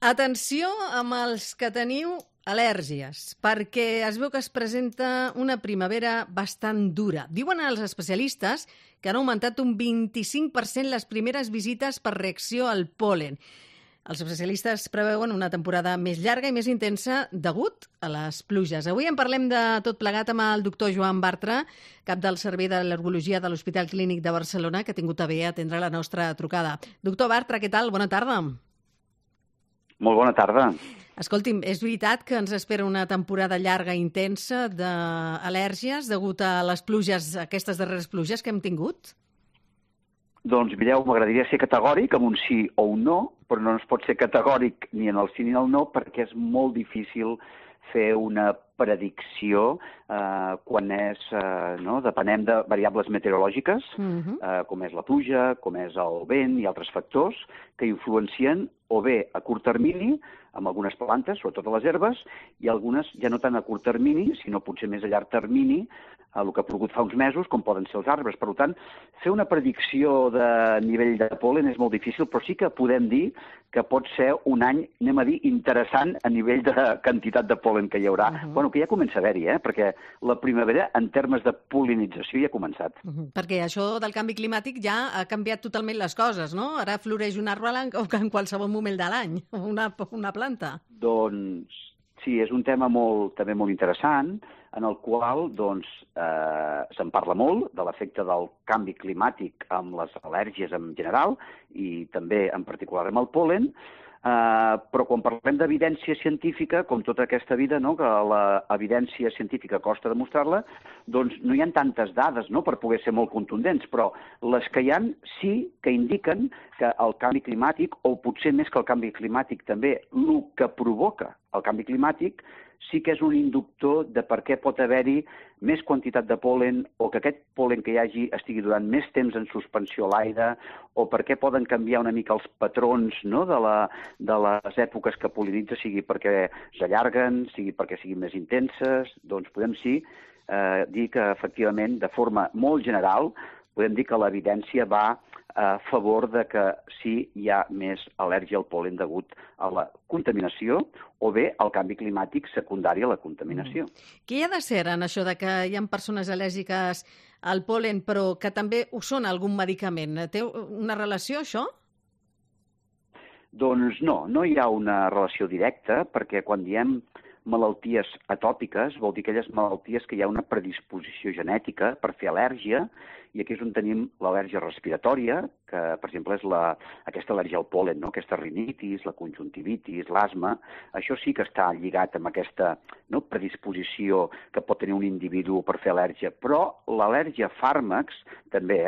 Atenció amb els que teniu al·lèrgies, perquè es veu que es presenta una primavera bastant dura. Diuen els especialistes que han augmentat un 25% les primeres visites per reacció al pol·len. Els especialistes preveuen una temporada més llarga i més intensa degut a les pluges. Avui en parlem de tot plegat amb el doctor Joan Bartra, cap del Servei d'Al·lergologia de l'Hospital Clínic de Barcelona, que ha tingut a bé atendre la nostra trucada. Doctor Bartra, què tal? Bona tarda. Molt bona tarda. Escolti'm, és veritat que ens espera una temporada llarga i intensa d'al·lèrgies degut a les pluges, aquestes darreres pluges que hem tingut? Doncs mireu, m'agradaria ser categòric amb un sí o un no, però no es pot ser categòric ni en el sí ni en el no perquè és molt difícil fer una predicció quan és, depenem de variables meteorològiques, com és la pluja, com és el vent i altres factors que influencien o bé a curt termini, amb algunes plantes, sobretot a les herbes, i algunes ja no tant a curt termini, sinó potser més a llarg termini, el que ha plogut fa uns mesos, com poden ser els arbres. Per tant, fer una predicció de nivell de pol·len és molt difícil, però sí que podem dir que pot ser un any, anem a dir, interessant a nivell de quantitat de pol·len que hi haurà. Bueno, que ja comença a haver-hi, perquè la primavera, en termes de pol·linització, ja ha començat. Perquè això del canvi climàtic ja ha canviat totalment les coses, no? Ara floreix un arbre en qualsevol moment de l'any, una planta. Doncs sí, és un tema també molt interessant, en el qual se'n parla molt de l'efecte del canvi climàtic amb les al·lèrgies en general i també en particular amb el pol·len, però quan parlem d'evidència científica, com tota aquesta vida, que l'evidència científica costa demostrar-la, doncs no hi ha tantes dades per poder ser molt contundents, però les que hi ha sí que indiquen que el canvi climàtic, o potser més que el canvi climàtic també, el que provoca el canvi climàtic, sí que és un inductor de per què pot haver-hi més quantitat de pol·len o que aquest pol·len que hi hagi estigui durant més temps en suspensió a l'aire o per què poden canviar una mica els patrons de les èpoques que pol·linitza, sigui perquè s'allarguen, sigui perquè siguin més intenses. Doncs podem dir que efectivament, de forma molt general, podem dir que l'evidència va a favor de que sí hi ha més al·lèrgia al pol·len degut a la contaminació o bé al canvi climàtic secundari a la contaminació. Què hi ha de ser en això de que hi ha persones al·lèrgiques al pol·len però que també ho són a algun medicament? Té una relació, això? Doncs no hi ha una relació directa perquè quan diem malalties atòpiques vol dir aquelles malalties que hi ha una predisposició genètica per fer al·lèrgia i aquí és on tenim l'al·lèrgia respiratòria, que per exemple és aquesta al·lèrgia al pol·len, aquesta rinitis, la conjuntivitis, l'asma. Això sí que està lligat amb aquesta predisposició que pot tenir un individu per fer al·lèrgia, però l'al·lèrgia a fàrmacs també,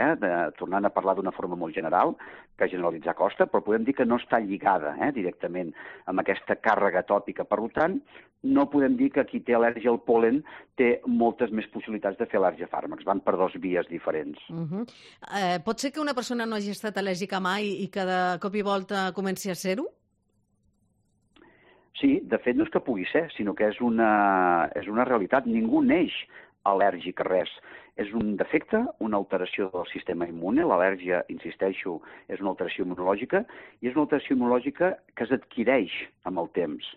tornant a parlar d'una forma molt general, que generalitzar costa, però podem dir que no està lligada directament amb aquesta càrrega atòpica. Per tant, no podem dir que qui té al·lèrgia al pol·len té moltes més possibilitats de fer al·lèrgia a fàrmacs. Van per dues vies diferents. Pot ser que una persona no hagi estat al·lèrgica mai i que de cop i volta comenci a ser-ho? Sí, de fet no és que pugui ser, sinó que és una realitat. Ningú neix al·lèrgic a res. És un defecte, una alteració del sistema immune. L'al·lèrgia, insisteixo, és una alteració immunològica i és una alteració immunològica que s'adquireix amb el temps.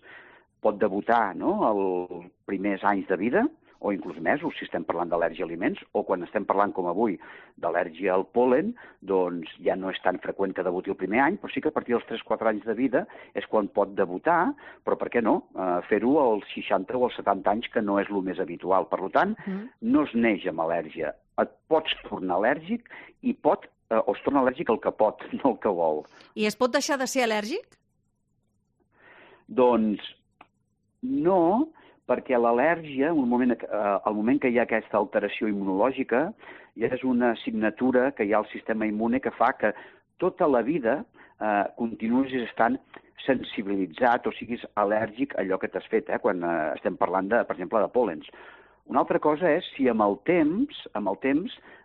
Pot debutar als primers anys de vida o inclús mesos, si estem parlant d'al·lèrgia a aliments, o quan estem parlant, com avui, d'al·lèrgia al pol·len, doncs ja no és tan freqüent que debuti el primer any, però sí que a partir dels 3-4 anys de vida és quan pot debutar, però per què no? Fer-ho als 60 o als 70 anys, que no és el més habitual. Per tant, no es neix amb al·lèrgia. Et pots tornar al·lèrgic i o es torna al·lèrgic el que pot, no el que vol. I es pot deixar de ser al·lèrgic? Doncs no, perquè l'al·lèrgia, al moment que hi ha aquesta alteració immunològica, ja és una assignatura que hi ha al sistema immune que fa que tota la vida continuïs estant sensibilitzat o siguis al·lèrgic a allò que t'has fet, quan estem parlant, per exemple, de pol·lens. Una altra cosa és si amb el temps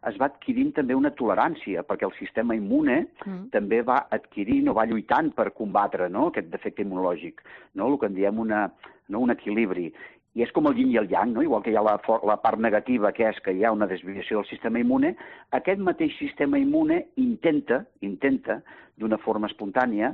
es va adquirint també una tolerància, perquè el sistema immune també va adquirint o va lluitant per combatre aquest defecte immunològic, el que en diem un equilibri. I és com el yin i el yang, igual que hi ha la part negativa, que és que hi ha una desviació del sistema immune, aquest mateix sistema immune intenta d'una forma espontània,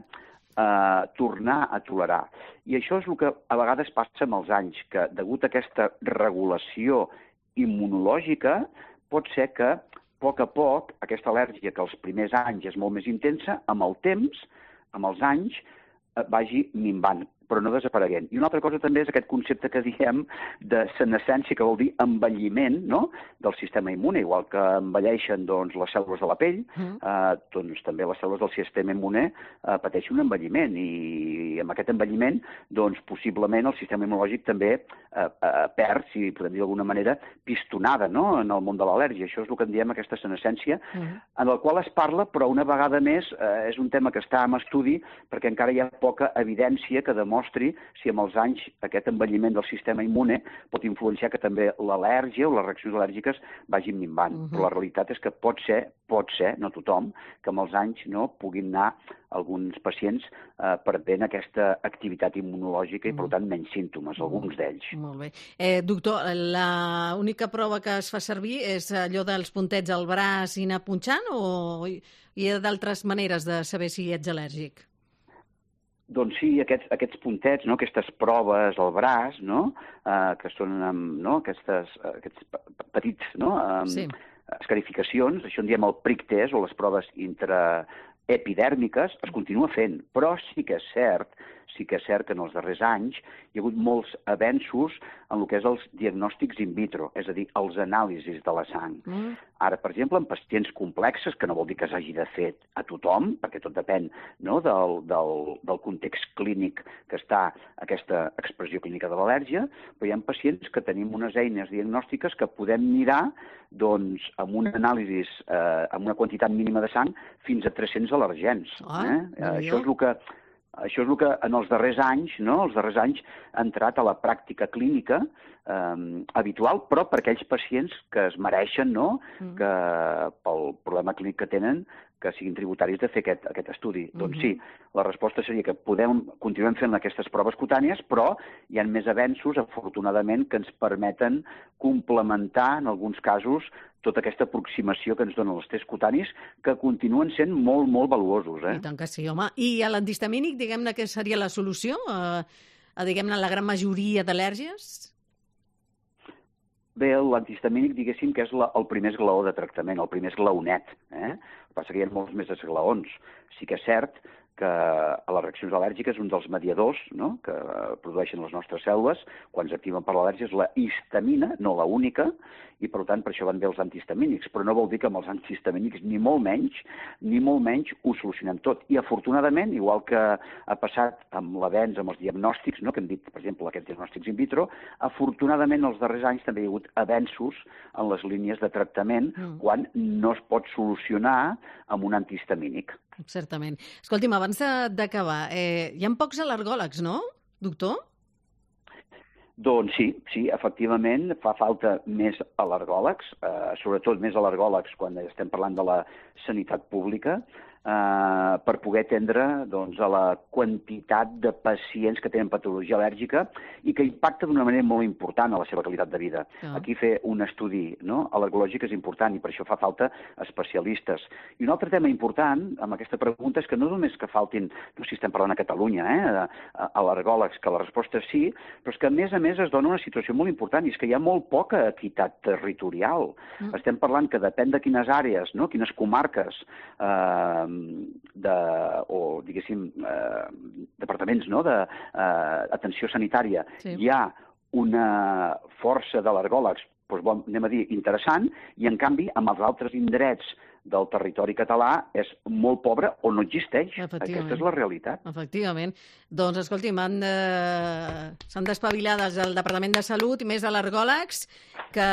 tornar a tolerar. I això és el que a vegades passa amb els anys, que degut a aquesta regulació immunològica pot ser que a poc, aquesta al·lèrgia que els primers anys és molt més intensa, amb el temps, amb els anys, vagi minvant, però no desapareguent. I una altra cosa també és aquest concepte que diem de senescència, que vol dir envelliment, no?, del sistema immune. Igual que envelleixen doncs, les cèl·lules de la pell, doncs també les cèl·lules del sistema immune pateixen un envelliment. I amb aquest envelliment, doncs, possiblement el sistema immunològic també perd, si podem dir d'alguna manera, pistonada, no?, en el món de l'al·lèrgia. Això és el que en diem aquesta senescència, en el qual es parla, però una vegada més és un tema que està en estudi perquè encara hi ha poca evidència que demostri si amb els anys aquest envelliment del sistema immune pot influenciar que també l'al·lèrgia o les reaccions al·lèrgiques vagin minvant. Però la realitat és que pot ser, no tothom, que amb els anys no puguin anar alguns pacients perdent aquesta activitat immunològica i, per tant, menys símptomes, alguns d'ells. Molt bé. Doctor, l'única prova que es fa servir és allò dels puntets al braç i anar punxant o hi ha d'altres maneres de saber si ets al·lèrgic? Doncs sí, aquests puntets, no?, aquestes proves al braç, no?, que són aquests petits, no?, escarificacions, això en diem el prick test o les proves intraepidèrmiques, es continua fent, però sí que és cert que en els darrers anys hi ha hagut molts avenços en el que és els diagnòstics in vitro, és a dir, els anàlisis de la sang. Ara, per exemple, en pacients complexes, que no vol dir que s'hagi de fer a tothom, perquè tot depèn, no?, del context clínic que està aquesta expressió clínica de l'al·lèrgia, però hi ha pacients que tenim unes eines diagnòstiques que podem mirar doncs, amb un anàlisi amb una quantitat mínima de sang fins a 300 al·lergens. Això és el que en els darrers anys, ha entrat a la pràctica clínica habitual, però per aquells pacients que es mereixen, no?, que pel problema clínic que tenen, que siguin tributaris de fer aquest estudi. Doncs sí, la resposta seria que continuem fent aquestes proves cutànies, però hi ha més avenços, afortunadament, que ens permeten complementar, en alguns casos, tota aquesta aproximació que ens donen els tests cutanis, que continuen sent molt, molt valuosos. I tant que sí, home. I a l'antihistamínic, diguem-ne, què seria la solució diguem-ne, la gran majoria d'al·lèrgies? Bé, l'antihistamínic, diguéssim, que és el primer esglaó de tractament, el primer esglaonet. El que passa que hi ha molts més esglaons. Sí que és cert que a les reaccions al·lèrgiques un dels mediadors, no?, que produeixen les nostres cèl·lules quan s'activen per l'al·lèrgia és la histamina, no la única, i per tant per això van bé els antihistamínics, però no vol dir que amb els antihistamínics ni molt menys ho solucionem tot. I afortunadament, igual que ha passat amb l'avenç, amb els diagnòstics, no?, que hem dit, per exemple, aquests diagnòstics in vitro, afortunadament els darrers anys també hi ha hagut avenços en les línies de tractament quan no es pot solucionar amb un antihistamínic. Certament. Escolti'm, abans d'acabar, hi ha pocs al·lergòlegs, no, doctor? Doncs sí, efectivament, fa falta més al·lergòlegs, sobretot més al·lergòlegs quan estem parlant de la sanitat pública, per poder atendre doncs, a la quantitat de pacients que tenen patologia al·lèrgica i que impacta d'una manera molt important a la seva qualitat de vida. Aquí fer un estudi al·lergològic és important i per això fa falta especialistes. I un altre tema important amb aquesta pregunta és que no només que faltin, no sé si estem parlant a Catalunya, al·lergòlegs, que la resposta és sí, però és que a més es dona una situació molt important i és que hi ha molt poca equitat territorial. Estem parlant que depèn de quines àrees, quines comarques o, diguéssim, departaments d'atenció sanitària, hi ha una força d'al·lergòlegs, doncs, anem a dir, interessant, i en canvi, amb els altres indrets del territori català és molt pobre o no existeix. Aquesta és la realitat. Efectivament. Doncs, escolti'm, s'han d'espavilar des del Departament de Salut i més al·lergòlegs, que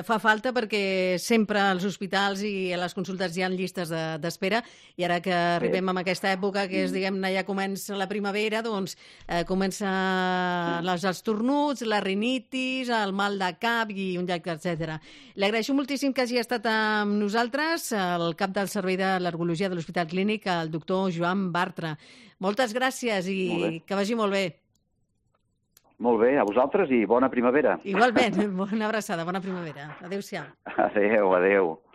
fa falta perquè sempre als hospitals i a les consultes hi ha llistes d'espera i ara que arribem a aquesta època que és, diguem-ne, ja comença la primavera, doncs comença els estornuts, la rinitis, el mal de cap i un llarg, etc. Li agraeixo moltíssim que hagi estat amb nosaltres, el cap del Servei d'Al·lergologia de l'Hospital Clínic, el doctor Joan Bartra. Moltes gràcies i que vagi molt bé. Molt bé, a vosaltres i bona primavera. Igualment, bona abraçada, bona primavera. Adéu-siau. Adéu.